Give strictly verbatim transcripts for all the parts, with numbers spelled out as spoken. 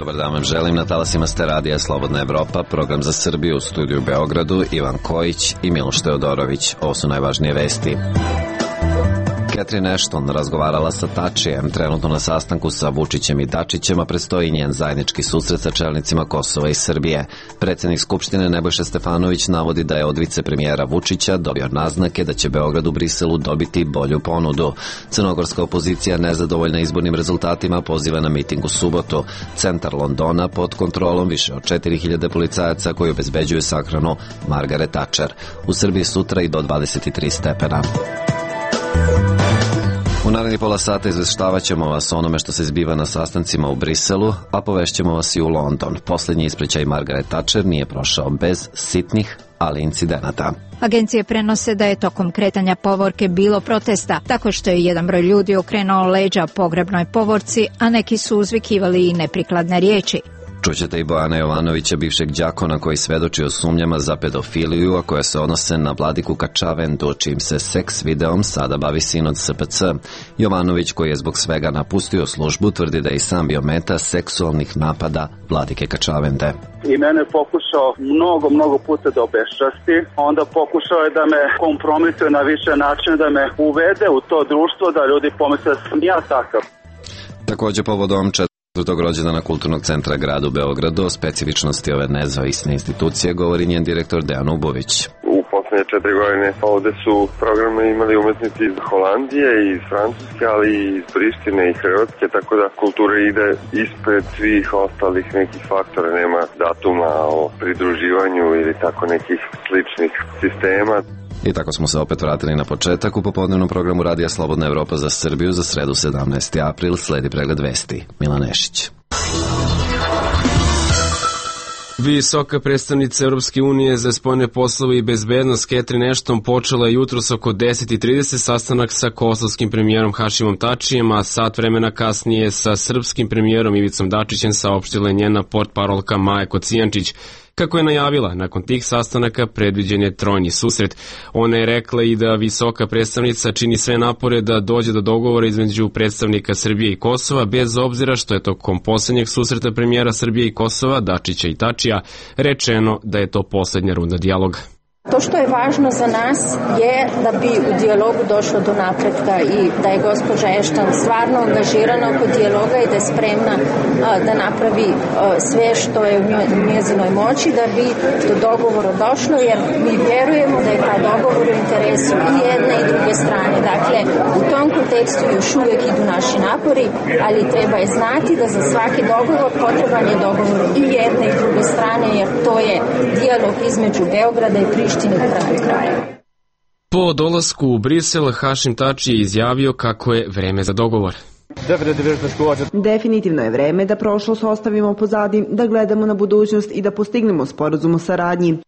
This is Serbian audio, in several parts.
Dobar dan vam želim, na talasima ste radija Slobodna Evropa, program za Srbiju, u studiju u Beogradu, Ivan Kojić i Miloš Teodorović. Ovo su najvažnije vesti. Catherine Ashton razgovarala sa Tačijem, trenutno na sastanku sa Vučićem i Dačićem, a predstoji njen zajednički susret sa čelnicima Kosova i Srbije. Predsednik Skupštine Nebojša Stefanović navodi da je od vicepremijera Vučića dobio naznake da će Beograd u Briselu dobiti bolju ponudu. Crnogorska opozicija nezadovoljna izbornim rezultatima poziva na miting u subotu. Centar Londona pod kontrolom više od četiri hiljade policajaca koji obezbeđuju sahranu Margaret Thatcher. U Srbiji sutra i do dvadeset tri stepena. U naredni pola sata izveštavat ćemo vas o onome što se zbiva na sastancima u Briselu, a povešćemo vas i u London. Poslednji ispričaj Margaret Thatcher nije prošao bez sitnih, ali incidenata. Agencije prenose da je tokom kretanja povorke bilo protesta, tako što je jedan broj ljudi okrenuo leđa pogrebnoj povorci, a neki su uzvikivali i neprikladne riječi. Čućete i Bojana Jovanovića, bivšeg đakona koji svedoči o sumnjama za pedofiliju, a koje se odnose na Vladiku Kačavendu, čijim se seks videom sada bavi sin od S P C. Jovanović, koji je zbog svega napustio službu, tvrdi da je i sam bio meta seksualnih napada Vladike Kačavende. I mene je pokušao mnogo, mnogo puta da obeščasti, onda pokušao je da me kompromituje na više načina, da me uvede u to društvo, da ljudi pomisle da sam ja takav. Takođe, povodom četvrtog rođendana Kulturnog centra grada u Beogradu, o specifičnosti ove nezavisne institucije govori njen direktor Dejan Ubović. U poslednje četiri godine ovde su programe imali umetnici iz Holandije i iz Francuske, ali i iz Prištine i Hrvatske, tako da kultura ide ispred svih ostalih nekih faktora, nema datuma o pridruživanju ili tako nekih sličnih sistema. I tako smo se opet vratili na početak u popodnevnom programu Radija Slobodna Evropa za Srbiju za sredu sedamnaesti april. Sledi pregled vesti. Milan Nešić. Visoka predstavnica Europske unije za spoljne poslove i bezbednost Catherine Ashton počela je jutros oko deset i trideset sastanak sa kosovskim premijerom Hašimom Tačijem, a sat vremena kasnije sa srpskim premijerom Ivicom Dačićem, saopštila je njena portparolka Maja Kocijančić. Kako je najavila, nakon tih sastanaka predviđen je trojni susret. Ona je rekla i da visoka predstavnica čini sve napore da dođe do dogovora između predstavnika Srbije i Kosova, bez obzira što je tokom poslednjeg susreta premijera Srbije i Kosova, Dačića i Tačija, rečeno da je to poslednja runda dijaloga. To što je važno za nas je da bi u dijalogu došlo do napretka i da je gospođa Ashton stvarno angažirana oko dijaloga i da je spremna a, da napravi a, sve što je u njezinoj moći da bi do dogovora došlo, jer mi vjerujemo da je taj dogovor u interesu i jedne i druge strane. Dakle, u tom kontekstu još uvijek idu naši napori, ali treba je znati da za svaki dogovor potreban je dogovor i jedne i druge strane, jer to je dijalog između Beograda i Prištine. Po dolasku u Brisel, Hašim Tači je izjavio kako je vreme za dogovor. Definitivno je vreme da prošlost ostavimo pozadi, da gledamo na budućnost i da postignemo sporazum o saradnji.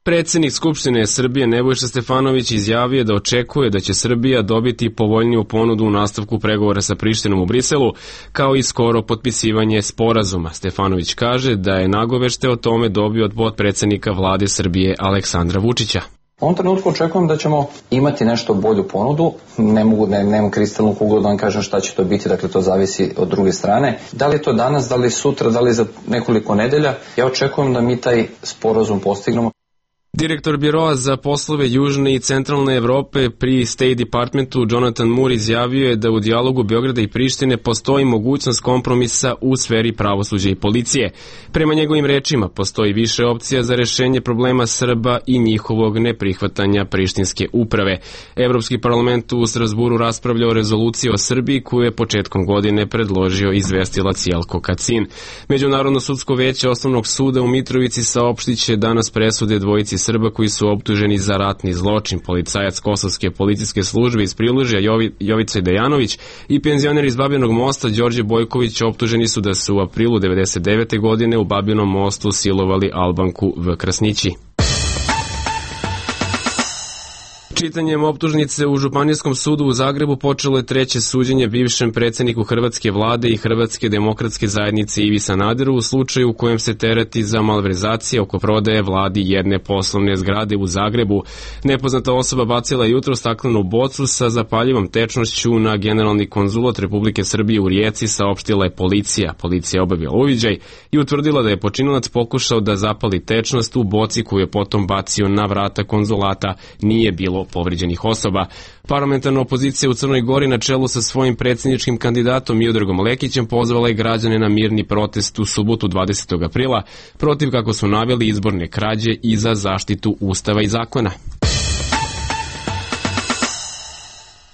Predsednik Skupštine Srbije Nebojša Stefanović izjavio da očekuje da će Srbija dobiti povoljniju ponudu u nastavku pregovora sa Prištinom u Briselu, kao i skoro potpisivanje sporazuma. Stefanović kaže da je nagovešte o tome dobio od potpredsednika vlade Srbije Aleksandra Vučića. U ovom trenutku očekujem da ćemo imati nešto bolju ponudu, ne mogu, ne, nemam kristalnu kuglu da vam kažem šta će to biti, dakle to zavisi od druge strane. Da li je to danas, da li sutra, da li za nekoliko nedelja, ja očekujem da mi taj sporazum postignemo. Direktor Biroa za poslove Južne i Centralne Evrope pri State Departmentu Jonathan Moore izjavio je da u dijalogu Beograda i Prištine postoji mogućnost kompromisa u sferi pravosuđa i policije. Prema njegovim rečima postoji više opcija za rešenje problema Srba i njihovog neprihvatanja prištinske uprave. Evropski parlament u Strasburu raspravlja o rezoluciji o Srbiji koju je početkom godine predložio izvestilac Jelko Kacin. Međunarodno sudsko veće Osnovnog suda u Mitrovici saopštiće danas presude dvojici Srba koji su optuženi za ratni zločin. Policajac Kosovske policijske službe iz Prilužja Jovi, Jovica Dejanović i penzioner iz Babinog mosta Đorđe Bojković optuženi su da su u aprilu devedeset devete godine u Babinom mostu silovali Albanku V. Krasnići. Čitanjem optužnice u Županijskom sudu u Zagrebu počelo je treće suđenje bivšem predsjedniku Hrvatske vlade i Hrvatske demokratske zajednice Ivi Sanaderu u slučaju u kojem se tereti za malverzacije oko prodaje vladi jedne poslovne zgrade u Zagrebu. Nepoznata osoba bacila je jutro staklenu bocu sa zapaljivom tečnošću na generalni konzulat Republike Srbije u Rijeci, saopštila je policija. Policija je obavila uviđaj i utvrdila da je počinilac pokušao da zapali tečnost u boci koju je potom bacio na vrata konzulata. Nije bilo povređenih osoba. Parlamentarna opozicija u Crnoj Gori na čelu sa svojim predsjedničkim kandidatom Miodragom Lekićem pozvala je građane na mirni protest u subotu dvadesetog aprila protiv, kako su naveli, izborne krađe i za zaštitu Ustava i zakona.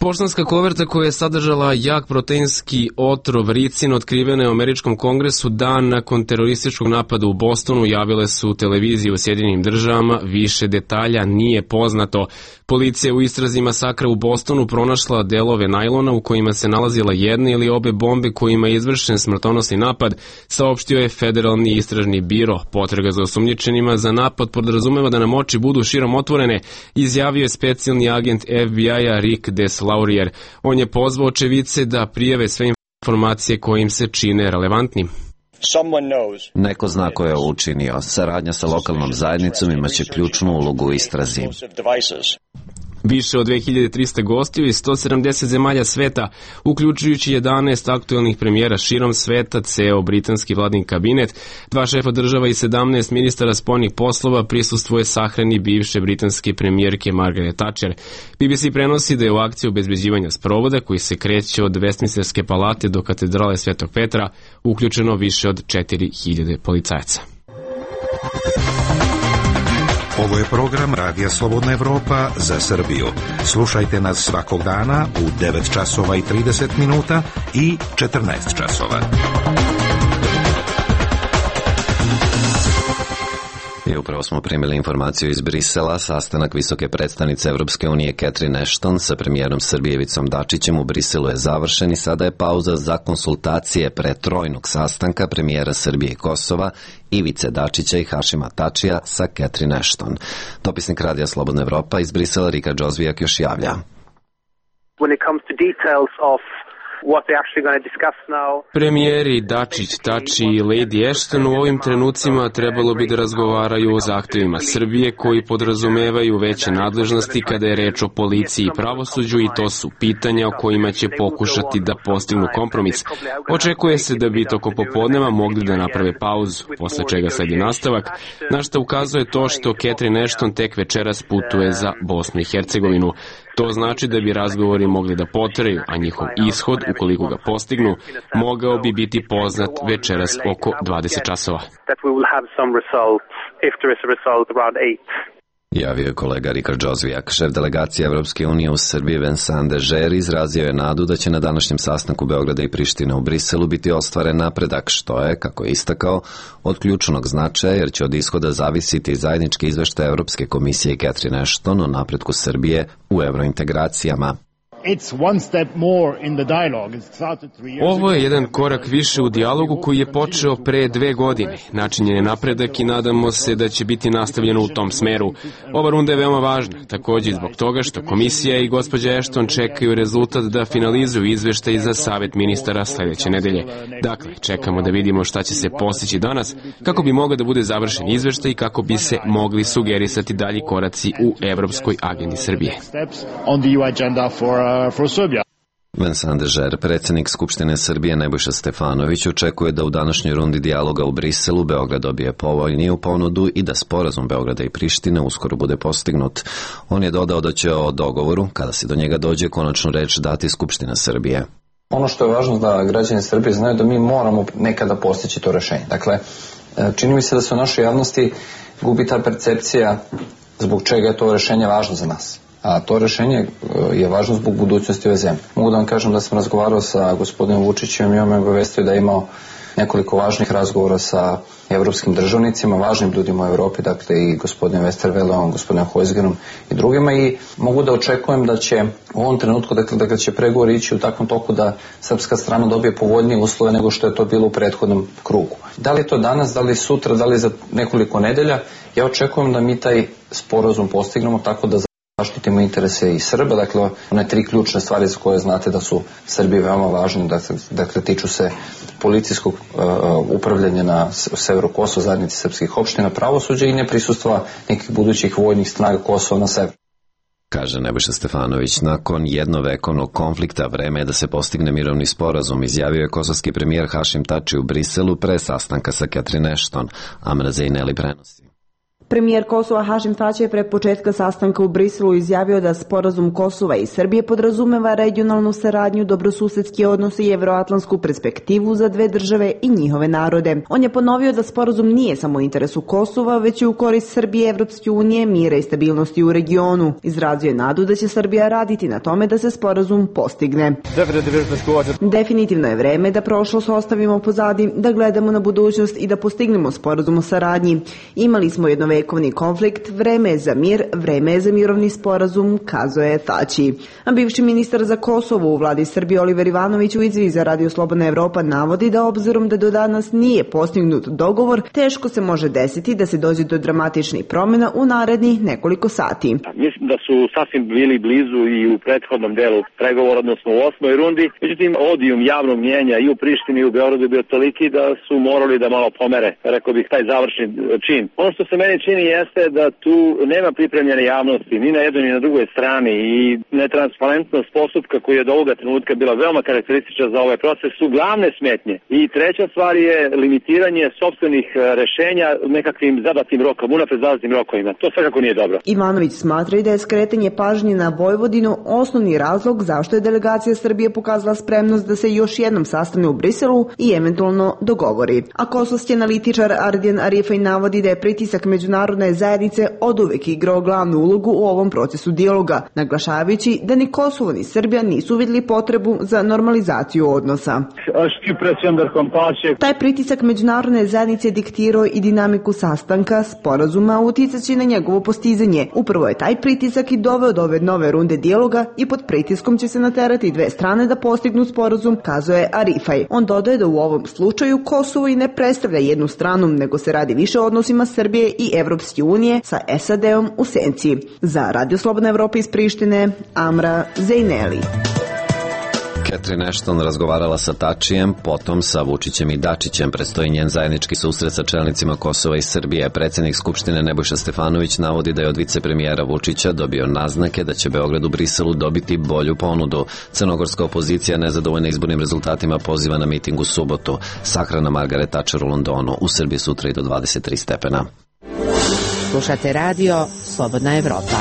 Poštanska koverta koja je sadržala jak proteinski otrov ricin otkrivena je u Američkom kongresu dan nakon terorističkog napada u Bostonu, javile su televizije u Sjedinjenim državama. Više detalja nije poznato. Policija u istrazi masakra u Bostonu pronašla delove najlona u kojima se nalazila jedna ili obe bombe kojima je izvršen smrtonosni napad, saopštio je Federalni istražni biro. Potraga za osumnjičenima za napad podrazumeva da nam oči budu širom otvorene, izjavio je specijalni agent F B I-a Rick Deslaurier. On je pozvao očevice da prijave sve informacije koje im se čine relevantnim. Neko zna ko je učinio. Saradnja sa lokalnom zajednicom imaće ključnu ulogu u istrazi. Više od dve hiljade trista gostiju iz sto sedamdeset zemalja sveta, uključujući jedanaest aktuelnih premijera širom sveta, ceo britanski vladin kabinet, dva šefa država i sedamnaest ministara spoljnih poslova prisustvuje sahrani bivše britanske premijerke Margaret Thatcher. B B C prenosi da je u akciju obezbeđivanja sprovoda, koji se kreće od Westminsterske palate do katedrale Svetog Petra, uključeno više od četiri hiljade policajaca. Ovo je program Radija Slobodna Evropa za Srbiju. Slušajte nas svakog dana u devet časova i trideset minuta i četrnaest časova. I upravo smo primili informaciju iz Brisela. Sastanak visoke predstavnice Evropske unije Catherine Ashton sa premijerom Srbije Ivicom Dačićem u Briselu je završen i sada je pauza za konsultacije pre trojnog sastanka premijera Srbije i Kosova, Ivice Dačića i Hašima Tačija sa Catherine Ashton. Dopisnik Radija Slobodna Evropa iz Brisela Rika Džozvijak još javlja. When it comes to details of what they're actually going to discuss now. Premijeri Dačić, Tači i Lady Ashton u ovim trenucima trebalo bi da razgovaraju o zahtevima Srbije koji podrazumevaju veće nadležnosti kada je reč o policiji i pravosuđu, i to su pitanja o kojima će pokušati da postignu kompromis. Očekuje se da bi tokom popodneva mogli da naprave pauzu, posle čega sledi nastavak, na što ukazuje to što Catherine Ashton tek večeras putuje za Bosnu i Hercegovinu. To znači da bi razgovori mogli da potraju, a njihov ishod, ukoliko ga postignu, mogao bi biti poznat večeras oko dvadeset časova. Javio je kolega Rikard Džozvijak. Šef delegacije Evropske unije u Srbiji Vincent Dežer izrazio je nadu da će na današnjem sastanku Beograda i Prištine u Briselu biti ostvaren napredak, što je, kako je istakao, od ključnog značaja, jer će od ishoda zavisiti zajednički izveštaj Evropske komisije i Catherine Ashton o napretku Srbije u evrointegracijama. Ovo je jedan korak više u dijalogu koji je počeo pre dve godine. Načinjen je napredak i nadamo se da će biti nastavljeno u tom smeru. Ova runda je veoma važna, takođe i zbog toga što komisija i gospođa Ashton čekaju rezultat da finalizuju izveštaj za Savet ministara sledeće nedelje. Dakle, čekamo da vidimo šta će se postići danas, kako bi mogao da bude završen izveštaj i kako bi se mogli sugerisati dalji koraci u evropskoj agendi Srbije. Vincent Dežer, predsjednik Skupštine Srbije Nebojša Stefanović, očekuje da u današnjoj rundi dijaloga u Briselu Beograd dobije povoljniju ponudu i da sporazum Beograda i Prištine uskoro bude postignut. On je dodao da će o dogovoru, kada se do njega dođe, konačnu reč dati Skupština Srbije. Ono što je važno da građani Srbije znaju da mi moramo nekada postići to rešenje. Dakle, čini mi se da se u našoj javnosti gubi ta percepcija zbog čega je to rešenje važno za nas. A to rešenje je važno zbog budućnosti ove zemlje. Mogu da vam kažem da sam razgovarao sa gospodinom Vučićem i on me obavestio da je imao nekoliko važnih razgovora sa evropskim državnicima, važnim ljudima u Evropi, dakle i gospodinom Westervelom, gospodinom Hojsgerom i drugima, i mogu da očekujem da će u ovom trenutku, dakle, da će pregovori ići u takvom toku da srpska strana dobije povoljnije uslove nego što je to bilo u prethodnom krugu. Da li je to danas, da li sutra, da li za nekoliko nedelja, ja očekujem da mi taj sporazum postignemo tako da Zaštitimo interese i Srba, dakle one tri ključne stvari za koje znate da su Srbiji veoma važne, dakle, dakle tiču se policijskog uh, upravljanja na severu Kosova, zajednici srpskih opština, pravosuđa i neprisustva nekih budućih vojnih snaga Kosova na severu. Kaže Nebojša Stefanović, nakon jednovekovnog konflikta vreme je da se postigne mirovni sporazum, izjavio je kosovski premijer Hašim Tači u Briselu pre sastanka sa Catherine Ashton. Amra Zejneli prenosi. Premijer Kosova Hašim Tači je pre početka sastanka u Briselu izjavio da sporazum Kosova i Srbije podrazumeva regionalnu saradnju, dobrosusedski odnos i evroatlantsku perspektivu za dve države i njihove narode. On je ponovio da sporazum nije samo u interesu Kosova, već i u korist Srbije, Evropske unije, mira i stabilnosti u regionu. Izrazio je nadu da će Srbija raditi na tome da se sporazum postigne. Definitivno je vreme da prošlost ostavimo pozadi, da gledamo na budućnost i da postignemo sporazum o saradnji. Imali smo jedno vekovni konflikt, vreme je za mir, vreme je za mirovni sporazum, kazao je Tači. A bivši ministar za Kosovo u vladi Srbije Oliver Ivanović u izjavi za Radio Slobodna Evropa navodi da obzirom da do danas nije postignut dogovor, teško se može desiti da se dođe do dramatičnih promjena u narednih nekoliko sati. Mislim da su sasvim bili blizu i u prethodnom delu pregovora, odnosno u osmoj rundi. Međutim, odijum javnog mnjenja i u Prištini i u Beogradu je bio toliki da su morali da malo pomere, rekao bih, taj završni čin. Ono što se meni čini jeste da tu nema pripremljene javnosti ni na jednoj ni na drugoj strani i netransparentnost postupka koji je do ovoga trenutka bila veoma karakteristična za ovaj proces su glavne smetnje. I treća stvar je limitiranje sopstvenih rešenja nekakvim zadatim rokom, unapred zadatim rokovima. To svakako nije dobro. Ivanović smatra i da je skretanje pažnje na Vojvodinu osnovni razlog zašto je delegacija Srbije pokazala spremnost da se još jednom sastane u Briselu i eventualno dogovori. A kosovski analitičar Ardijan Arifaj navodi da je pritisak međunarodne zajednice oduvek igrao glavnu ulogu u ovom procesu dijaloga, naglašavajući da ni Kosovo ni Srbija nisu vidjeli potrebu za normalizaciju odnosa. Taj pritisak međunarodne zajednice diktirao i dinamiku sastanka, sporazuma, uticaći na njegovo postizanje. Upravo je taj pritisak i doveo do ove nove runde dijaloga i pod pritiskom će se naterati dve strane da postignu sporazum, kazao je Arifaj. On dodaje da u ovom slučaju Kosovo i ne predstavlja jednu stranu, nego se radi više o odnosima Srbije i Evropske unije sa S A D-om u senci. Za Radio Slobodna Evropa iz Prištine, Amra Zejneli. Catherine Ashton razgovarala sa Tačijem, potom sa Vučićem i Dačićem. Predstoji njen zajednički susret sa čelnicima Kosova i Srbije. Predsjednik Skupštine Nebojša Stefanović navodi da je od vicepremijera Vučića dobio naznake da će Beograd u Briselu dobiti bolju ponudu. Crnogorska opozicija nezadovoljna izbornim rezultatima poziva na miting u subotu. Sahrana Margaret Thatcher u Londonu. U Srbiji sutra i do dvadeset tri stepena. Slušate radio Slobodna Evropa.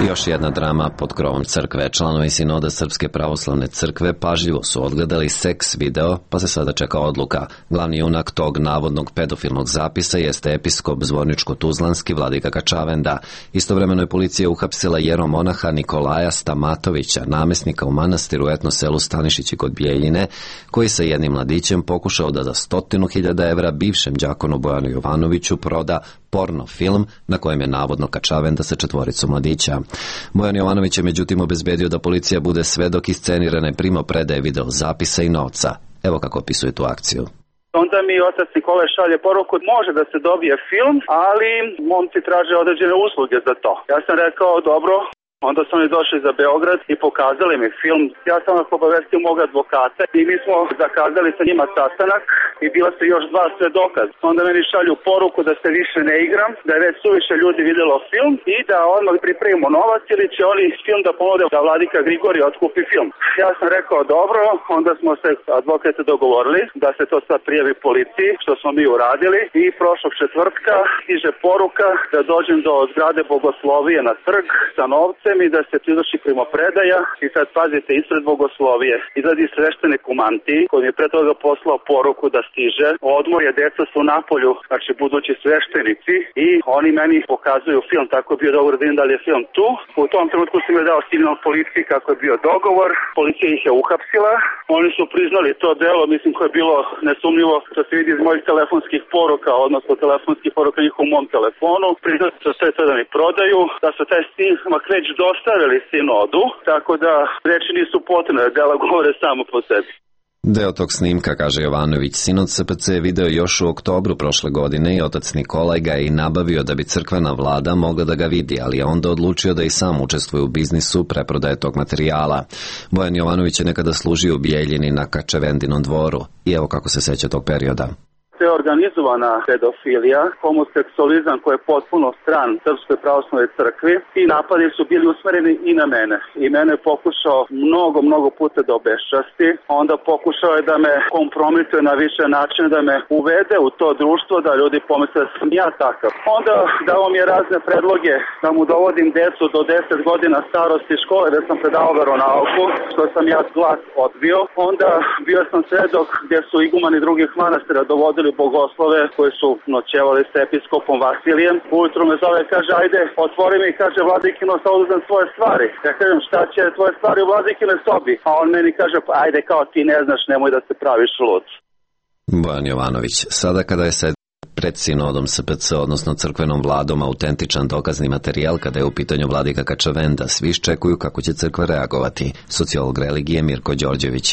Još jedna drama pod krovom crkve. Članovi sinoda Srpske pravoslavne crkve pažljivo su odgledali seks video, pa se sada čeka odluka. Glavni junak tog navodnog pedofilnog zapisa jeste episkop Zvorničko-Tuzlanski vladika Kačavenda. Istovremeno je policija uhapsila jeromonaha Nikolaja Stamatovića, namesnika u manastiru u etno selu Stanišići kod Bijeljine, koji sa jednim mladićem pokušao da za stotinu hiljada evra bivšem đakonu Bojanu Jovanoviću proda porno film na kojem je navodno Kačavenda sa četvoricom mladića. Bojan Jovanović je međutim obezbedio da policija bude svedok iscenirane primopredaje video zapisa i novca. Evo kako opisuje tu akciju. Onda mi otac Nikole šalje poruku, može da se dobije film, ali momci traže određene usluge za to. Ja sam rekao, dobro. Onda su oni došli za Beograd i pokazali mi film. Ja sam ih obavestio mog advokata i mi smo zakazali sa njima sastanak i bila su još dva svedoka. Onda meni šalju poruku da se više ne igram, da je već suviše ljudi vidjelo film i da odmah pripremimo novac ili će oni film da ponude da vladika Grigorije otkupi film. Ja sam rekao dobro, onda smo se advokate dogovorili da se to sad prijavi policiji, što smo mi uradili i prošlog četvrtka stiže poruka da dođem do zgrade Bogoslovije na trg sa novcem i da se izvrši primopredaja i sad pazite ispred Bogoslovije izgledi sveštenik u mantiji koji mi je pre toga poslao poruku da stiže. Odmorje, deca su na polju, znači budući sveštenici i oni meni pokazuju film, tako je bio dogovor da vidim da li je film tu. U tom trenutku sam je dao signal policiji kako je bio dogovor, policija ih je uhapsila, oni su priznali to delo, mislim koje je bilo nesumnjivo što se vidi iz mojih telefonskih poruka, odnosno telefonskih poruka njih u mom telefonu, priznali su sve to da mi prodaju, da su taj snimak već dostavili sinodu, tako da reči nisu potrebne, dela govore samo po sebi. Deo tog snimka, kaže Jovanović, sinoć S P C je video još u oktobru prošle godine i otac Nikolaj ga je i nabavio da bi crkvena vlada mogla da ga vidi, ali je onda odlučio da i sam učestvuje u biznisu preprodaje tog materijala. Bojan Jovanović je nekada služio u Bijeljini na Kačavendinom dvoru i evo kako se seća tog perioda. To je organizovana pedofilija, homoseksualizam koji je potpuno stran Srpskoj pravoslavnoj crkvi i napadi su bili usmereni i na mene. I mene je pokušao mnogo, mnogo puta da obeščasti, onda pokušao je da me kompromituje na više načine, da me uvede u to društvo, da ljudi pomisle da sam ja takav. Onda dao mi je razne predloge da mu dovodim decu do deset godina starosti škole, da sam predao veronauku, što sam ja glas odbio. Onda bio sam svedok gdje su igumani drugih manastira dovodili bogoslove koji su noćevali s episkopom Vasilijem. Ujutru me zove, kaže, ajde, otvori mi, kaže, vladikino, sad oduzem svoje stvari. Ja kažem, šta će tvoje stvari u vladikine sobi? A on meni kaže, pa ajde, kao ti ne znaš, nemoj da se praviš lud. Bojan Jovanović, sada kada je sad pred sinodom S P C, odnosno crkvenom vladom, autentičan dokazni materijal kada je u pitanju vladika Kačavenda, svi iščekuju kako će crkva reagovati. Sociolog religije Mirko Đorđević.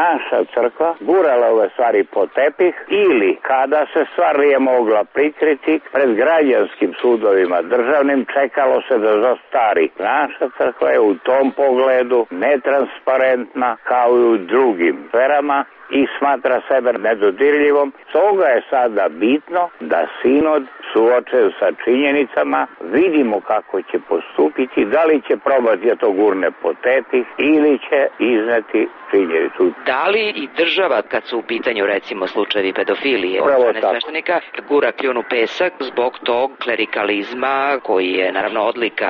Naša crkva gurala ove stvari po tepih ili kada se stvar nije mogla prikriti pred građanskim sudovima državnim čekalo se da zastari. Naša crkva je u tom pogledu netransparentna kao i u drugim sferama i smatra sebe nedodirljivom. Stoga je sada bitno da sinod suočen sa činjenicama vidimo kako će postupiti, da li će probati da to gurne po tepih ili će izneti činjenicu. Da li i država, kad su u pitanju recimo slučajevi pedofilije od strane sveštenika, gura kljun u pesak zbog tog klerikalizma koji je naravno odlika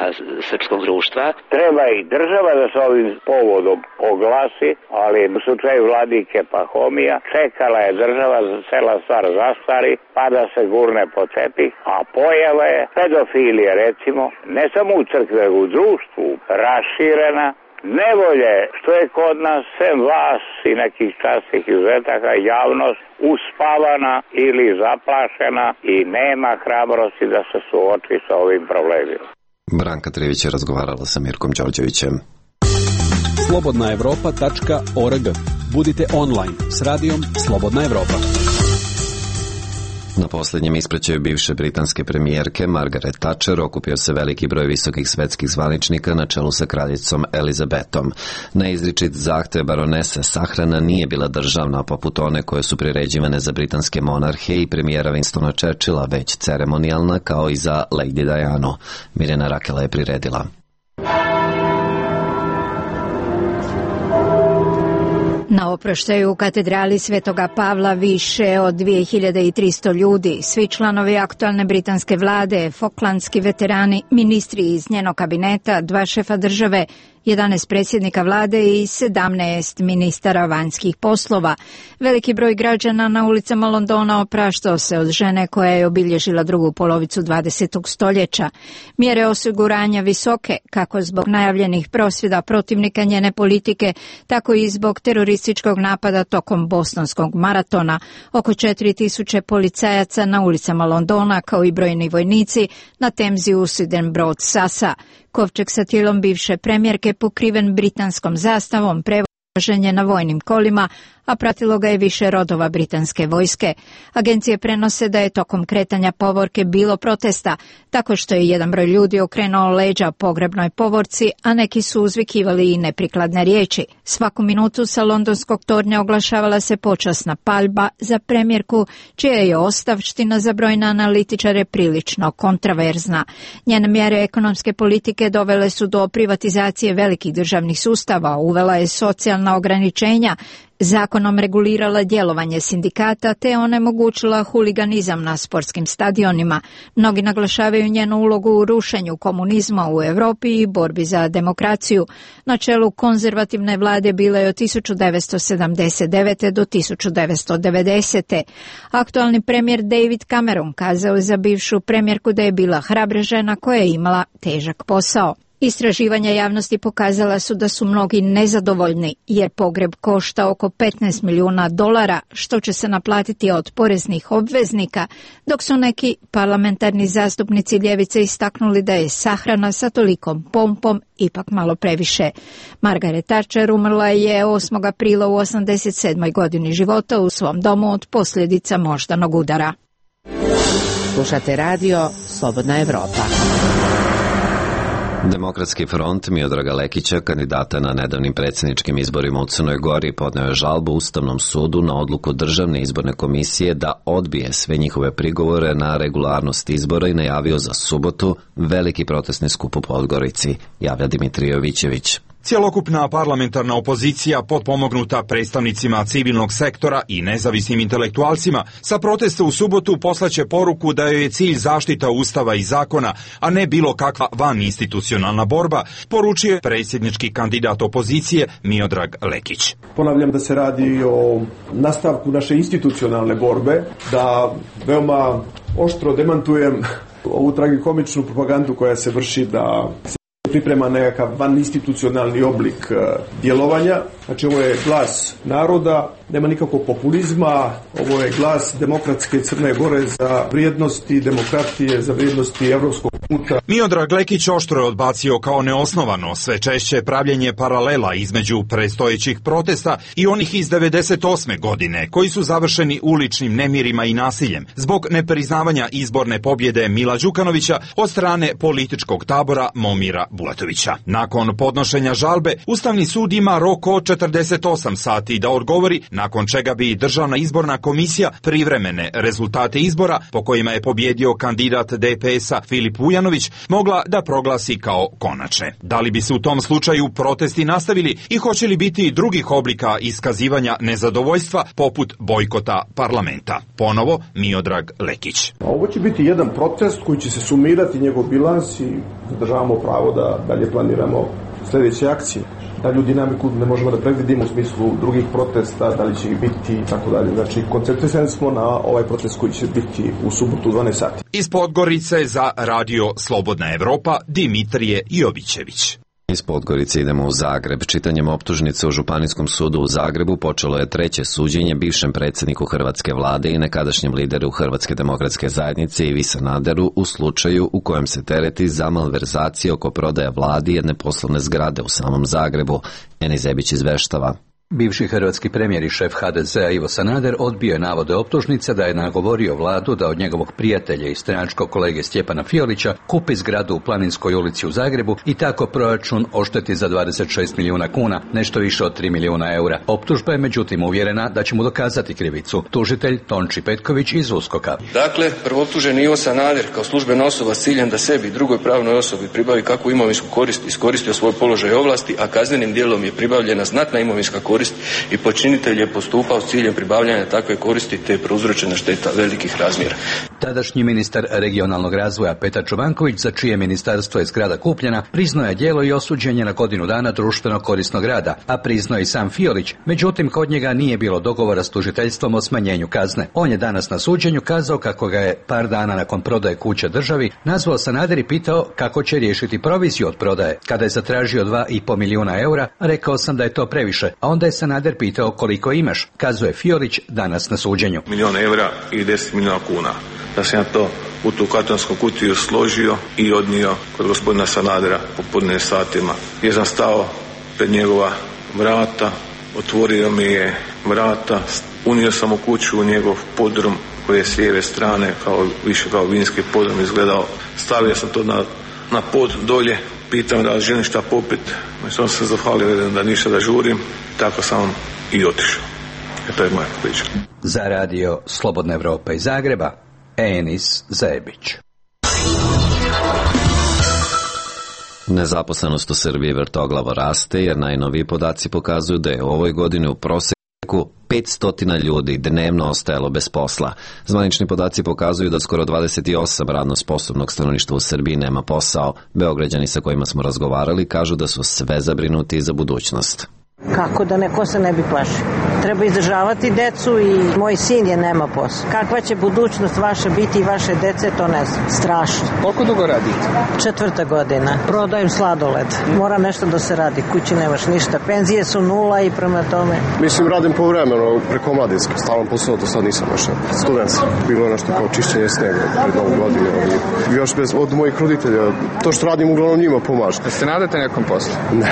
srpskog društva? Treba i država da se ovim povodom oglasi, ali u slučaju vladike Pahomija čekala je država da cela stvar zastari pa da se gurne po tepih, a pojava je pedofilije recimo ne samo u crkvi, nego u društvu raširena. Nevolje što je kod nas, sem vas i nekih častih izuzetaka, javnost uspavana ili zaplašena i nema hrabrosti da se suoči sa ovim problemima. Branka Trivić je razgovarala sa Mirkom Đorđevićem. slobodna evropa tačka org. Budite online s radijom Slobodna Evropa. Na posljednjem ispraćaju bivše britanske premijerke Margaret Thatcher okupio se veliki broj visokih svetskih zvaničnika na čelu sa kraljicom Elizabetom. Na izričit zahtev baronese sahrana nije bila državna poput one koje su priređivane za britanske monarhe i premijera Winstona Churchilla, već ceremonijalna kao i za Lady Dianu. Mirjana Rakela je priredila. Na oproštaju u katedrali Svetoga Pavla više od dvije hiljade tristo ljudi, svi članovi aktualne britanske vlade, foklandski veterani, ministri iz njenog kabineta, dva šefa države, jedanaest predsjednika vlade i sedamnaest ministara vanjskih poslova. Veliki broj građana na ulicama Londona opraštao se od žene koja je obilježila drugu polovicu dvadesetog stoljeća. Mjere osiguranja visoke, kako zbog najavljenih prosvjeda protivnika njene politike, tako i zbog terorističkog napada tokom bostonskog maratona. Oko četiri tisuće policajaca na ulicama Londona, kao i brojni vojnici na Temzi usiden brod Sasa. Kovčeg sa tijelom bivše premijerke pokriven britanskom zastavom prevožen je na vojnim kolima, a pratilo ga je više rodova britanske vojske. Agencije prenose da je tokom kretanja povorke bilo protesta, tako što je jedan broj ljudi okrenuo leđa pogrebnoj povorci, a neki su uzvikivali i neprikladne riječi. Svaku minutu sa londonskog tornja oglašavala se počasna paljba za premijerku, čija je ostavština za brojne analitičare prilično kontraverzna. Njene mjere ekonomske politike dovele su do privatizacije velikih državnih sustava, uvela je socijalna ograničenja, zakonom regulirala djelovanje sindikata te onemogućila huliganizam na sportskim stadionima. Mnogi naglašavaju njenu ulogu u rušenju komunizma u Europi i borbi za demokraciju. Na čelu konzervativne vlade bila je od tisuću devetsto sedamdeset devete do tisuću devetsto devedesete. Aktualni premijer David Cameron kazao je za bivšu premijerku da je bila hrabra žena koja je imala težak posao. Istraživanja javnosti pokazala su da su mnogi nezadovoljni jer pogreb košta oko petnaest milijuna dolara, što će se naplatiti od poreznih obveznika, dok su neki parlamentarni zastupnici ljevice istaknuli da je sahrana sa tolikom pompom ipak malo previše. Margaret Thatcher umrla je osmog aprila u osamdeset sedmoj godini života u svom domu od posljedica moždanog udara. Slušate radio Slobodna Evropa. Demokratski front Miodraga Lekića, kandidata na nedavnim predsjedničkim izborima u Crnoj Gori, podneo je žalbu Ustavnom sudu na odluku Državne izborne komisije da odbije sve njihove prigovore na regularnost izbora i najavio za subotu veliki protestni skup u Podgorici, javlja Dimitrije Jovićević. Cjelokupna parlamentarna opozicija, potpomognuta predstavnicima civilnog sektora i nezavisnim intelektualcima, sa protesta u subotu poslaće poruku da joj je cilj zaštita Ustava i zakona, a ne bilo kakva vaninstitucionalna borba, poručio je predsjednički kandidat opozicije Miodrag Lekić. Ponavljam da se radi o nastavku naše institucionalne borbe, da veoma oštro demantujem ovu tragikomičnu propagandu koja se vrši da priprema nekakav vaninstitucionalni oblik djelovanja. Znači ovo je glas naroda, nema nikakvog populizma, ovo je glas demokratske Crne Gore za vrijednosti demokratije, za vrijednosti evropskog puta. Miodrag Lekić oštro je odbacio kao neosnovano sve češće pravljenje paralela između predstojećih protesta i onih iz devedeset osme godine, koji su završeni uličnim nemirima i nasiljem zbog nepriznavanja izborne pobjede Mila Đukanovića od strane političkog tabora Momira Bulatovića. Nakon podnošenja žalbe, Ustavni sud ima rok od četrdeset osam sati da odgovori, nakon čega bi Državna izborna komisija privremene rezultate izbora, po kojima je pobjedio kandidat D P S-a Filip Vujanović, mogla da proglasi kao konačne. Da li bi se u tom slučaju protesti nastavili i hoće li biti drugih oblika iskazivanja nezadovoljstva poput bojkota parlamenta? Ponovo Miodrag Lekić. Ovo će biti jedan proces koji će se sumirati njegov bilans i zadržavamo pravo da dalje planiramo sljedeće akcije. Dalju dinamiku ne možemo da predvidimo u smislu drugih protesta, da li će ih biti i tako dalje. Znači, koncentrisani smo na ovaj protest koji će biti u subotu u dvanaest sati. Iz Podgorice za radio Slobodna Evropa, Dimitrije Jovićević. Iz Podgorice idemo u Zagreb. Čitanjem optužnice u Županijskom sudu u Zagrebu počelo je treće suđenje bivšem predsjedniku Hrvatske vlade i nekadašnjem lideru Hrvatske demokratske zajednice Ivi Sanaderu u slučaju u kojem se tereti za malverzacije oko prodaje vladi jedne poslovne zgrade u samom Zagrebu. Enis Zebić izveštava. Bivši hrvatski premijer i šef H D Z-a Ivo Sanader odbio je navode optužnice da je nagovorio vladu da od njegovog prijatelja i stranačkog kolege Stjepana Fiolića kupi zgradu u Planinskoj ulici u Zagrebu i tako proračun ošteti za dvadeset šest milijuna kuna, nešto više od tri milijuna eura. Optužba je međutim uvjerena da će mu dokazati krivicu. Tužitelj Tonči Petković iz USKOK-a. Dakle, prvoptuženi Ivo Sanader kao službena osoba s ciljem da sebi i drugoj pravnoj osobi pribavi kakvu imovinsku korist iskoristio svoj položaj i ovlasti, a kaznenim djelom je pribavljena znatna imovinska korist i počinitelj je postupao s ciljem pribavljanja takve koristi te je prouzročena šteta velikih razmjera. Tadašnji ministar regionalnog razvoja Petar Čobanković, za čije ministarstvo je zgrada kupljena, priznao je djelo i osuđen je na godinu dana društveno korisnog rada, a priznao i sam Fiolić, međutim kod njega nije bilo dogovora s tužiteljstvom o smanjenju kazne. On je danas na suđenju kazao kako ga je par dana nakon prodaje kuće državi nazvao Sanader i pitao kako će riješiti proviziju od prodaje. Kada je zatražio dva i pol milijuna eura, rekao sam da je to previše, a onda je Sanader pitao koliko imaš, kazuje Fiolić danas na suđenju. Milijon eura i deset milijuna kuna. Da sam ja to u tu kartonsku kutiju složio i odnio kod gospodina Sanadera popodne satima. Gdje sam stao pred njegova vrata, otvorio mi je vrata, unio sam u kuću u njegov podrum koji je s lijeve strane, kao, više kao vinski podrum izgledao. Stavio sam to na, na pod dolje, pitam da li želim šta popit, sam se zahvalio da ništa da žurim, tako sam i otišao. E to je moja priča. Za radio Slobodna Evropa iz Zagreba, Enis Zebić. Nezaposlenost u Srbiji vrtoglavo raste jer najnoviji podaci pokazuju da je u ovoj godini u proseku petsto ljudi dnevno ostajalo bez posla. Zvanični podaci pokazuju da skoro dvadeset osam radno sposobnog stanovništva u Srbiji nema posao. Beograđani sa kojima smo razgovarali kažu da su sve zabrinuti za budućnost. Kako da neko se ne bi plašio? Treba izdržavati decu i moj sin je nema posla. Kakva će budućnost vaša biti i vaše dece, to ne znam. Strašno. Koliko dugo radite? Četvrta godina. Prodajem sladoled. Mora nešto da se radi. Kući nemaš ništa. Penzije su nula i prema tome. Mislim, radim povremeno preko omladinske. Stalan posao, do sad nisam našao. Student sam. Bilo je nešto kao čišćenje snega pred novu godinu. Još bez, od mojih roditelja. To što radim uglavnom njima pomaže. Da se nadate nekom poslu? Ne.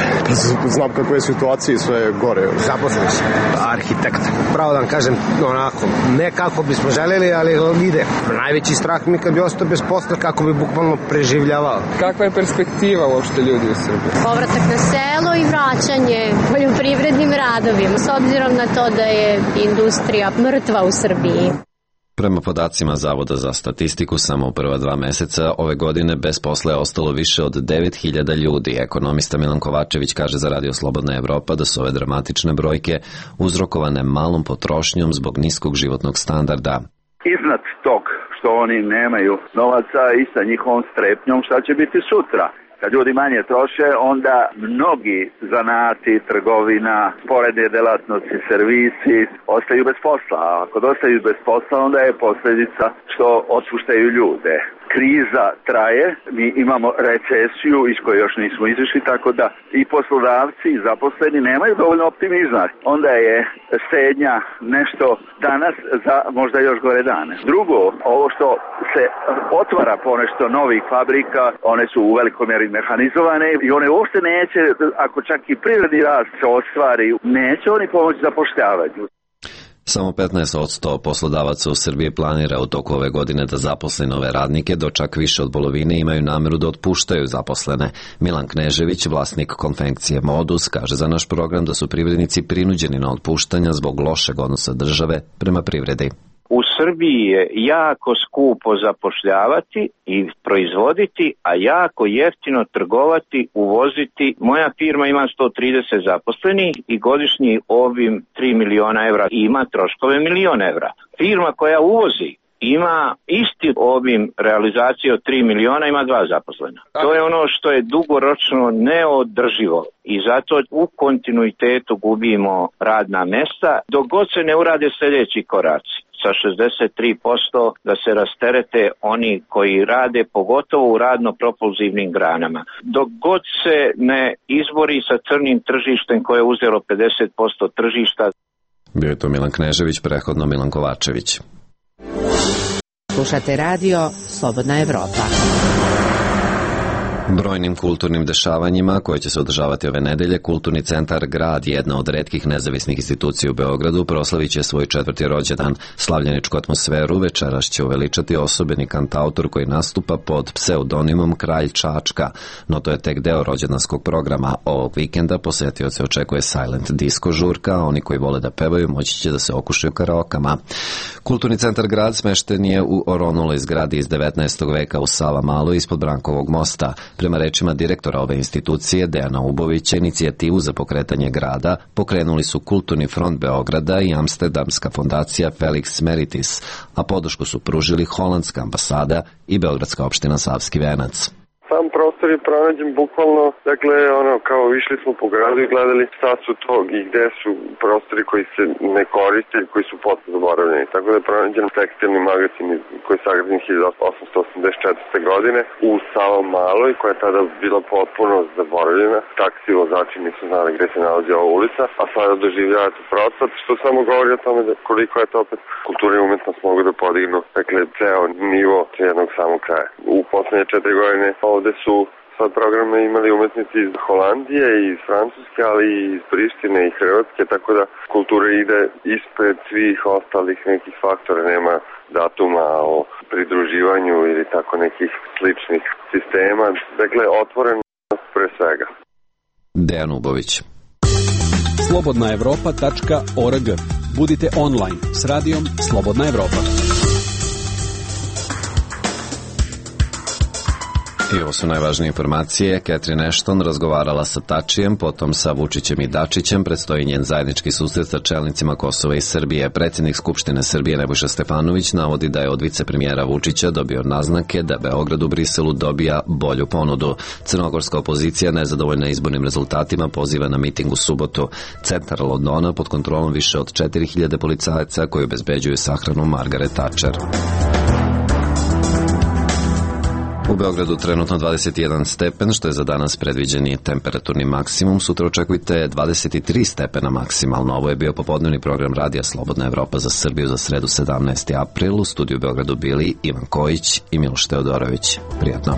Znam kakve je situacije, sve je gore. Zaposlen sam. Arhitekt. Pravo da vam kažem, onako, ne kako bismo želeli, ali ide. Najveći strah mi kad bi ostao bez posla, kako bi bukvalno preživljavao. Kakva je perspektiva uopšte ljudi u Srbiji? Povratak na selo i vraćanje poljoprivrednim radovima, s obzirom na to da je industrija mrtva u Srbiji. Prema podacima Zavoda za statistiku, samo u prva dva meseca ove godine bez posla je ostalo više od devet hiljada ljudi. Ekonomista Milan Kovačević kaže za Radio Slobodna Evropa da su ove dramatične brojke uzrokovane malom potrošnjom zbog niskog životnog standarda. Iznad tog što oni nemaju novaca i sa njihovom strepnjom šta će biti sutra. Kad ljudi manje troše, onda mnogi zanati, trgovina, sporedne delatnosti, servisi ostaju bez posla. A ako ostaju bez posla, onda je posljedica što otpuštaju ljude. Kriza traje, mi imamo recesiju iz koje još nismo izišli, tako da i poslodavci i zaposleni nemaju dovoljno optimizma. Onda je štednja nešto danas za možda još gore dane. Drugo, ovo što se otvara ponešto novih fabrika, one su u velikoj mjeri mehanizovane i one uopšte neće, ako čak i privredni rast se ostvari, neće oni pomoći zapošljavanju. Samo petnaest posto poslodavaca u Srbiji planira u toku ove godine da zaposle nove radnike, dok čak više od polovine imaju nameru da otpuštaju zaposlene. Milan Knežević, vlasnik konfekcije Modus, kaže za naš program da su privrednici prinuđeni na otpuštanja zbog lošeg odnosa države prema privredi. U Srbiji je jako skupo zapošljavati i proizvoditi, a jako jeftino trgovati, uvoziti. Moja firma ima sto trideset zaposlenih i godišnji obim tri miliona evra i ima troškove milion evra. Firma koja uvozi ima isti obim realizacije od tri miliona, ima dva zaposlena. To je ono što je dugoročno neodrživo i zato u kontinuitetu gubimo radna mesta dok god se ne urade sljedeći koraci. Sa šezdeset tri posto da se rasterete oni koji rade, pogotovo u radno-propulzivnim granama. Dok god se ne izbori sa crnim tržištem koje je uzelo pedeset posto tržišta. Bio je to Milan Knežević, prehodno Milan Kovačević. Slušate radio Slobodna Evropa. Brojnim kulturnim dešavanjima koje će se održavati ove nedelje, Kulturni centar Grad, jedna od retkih nezavisnih institucija u Beogradu, proslavit će svoj četvrti rođendan. Slavljeničku atmosferu večeras će uveličati osobeni kantautor koji nastupa pod pseudonimom Kralj Čačka, no to je tek deo rođendanskog programa. Ovog vikenda posetioce očekuje Silent Disco žurka, a oni koji vole da pevaju moći će da se okušaju karaokama. Kulturni centar Grad smešten je u oronuloj zgradi iz devetnaestog veka u Savamaloj ispod Brankovog mosta. Prema rečima direktora ove institucije, Dejana Ubovića, inicijativu za pokretanje grada pokrenuli su Kulturni front Beograda i Amsterdamska fondacija Felix Meritis, a podršku su pružili Holandska ambasada i Beogradska opština Savski Venac. Sam prostor je pronađen bukvalno, dakle, ono, kao išli smo po gradu i gledali šta su to i gde su prostori koji se ne koriste i koji su potpuno zaboravljeni. Tako da je pronađen tekstilni magazin koji je sagrađen hiljadu osamsto osamdeset četvrte. godine u Savamaloj, koja je tada bila potpuno zaboravljena. Taksi vozači nisu znali gde se nalazi ova ulica, a sada doživljavate procvat, što samo govori o tome da koliko je to opet kultura i umetnost mogu da podignu, dakle, ceo nivo jednog samog kraja. U poslednje četiri godine ovde su sad programe imali umetnici iz Holandije i iz Francuske, ali i iz Prištine i Hrvatske, tako da kultura ide ispred svih ostalih nekih faktora, nema datuma o pridruživanju ili tako nekih sličnih sistema, dakle otvorenost pre svega. Dejan Ubović. slobodna evropa tačka org. Budite online s radijom Slobodna Evropa. I ovo su najvažnije informacije. Catherine Ashton razgovarala sa Tačijem, potom sa Vučićem i Dačićem. Predstoji njen zajednički susret sa čelnicima Kosova i Srbije. Predsjednik Skupštine Srbije Nebojša Stefanović navodi da je od vicepremijera Vučića dobio naznake da Beograd u Briselu dobija bolju ponudu. Crnogorska opozicija, nezadovoljna izbornim rezultatima, poziva na miting u subotu. Centar Londona pod kontrolom više od četiri hiljade policajaca koji obezbeđuju sahranu Margaret Thatcher. U Beogradu trenutno dvadeset jedan stepen, što je za danas predviđeni temperaturni maksimum. Sutra očekujte dvadeset tri stepena maksimalno. Ovo je bio popodnevni program Radija Slobodna Evropa za Srbiju za sredu sedamnaesti april. U studiju u Beogradu bili Ivan Kojić i Miloš Teodorović. Prijatno.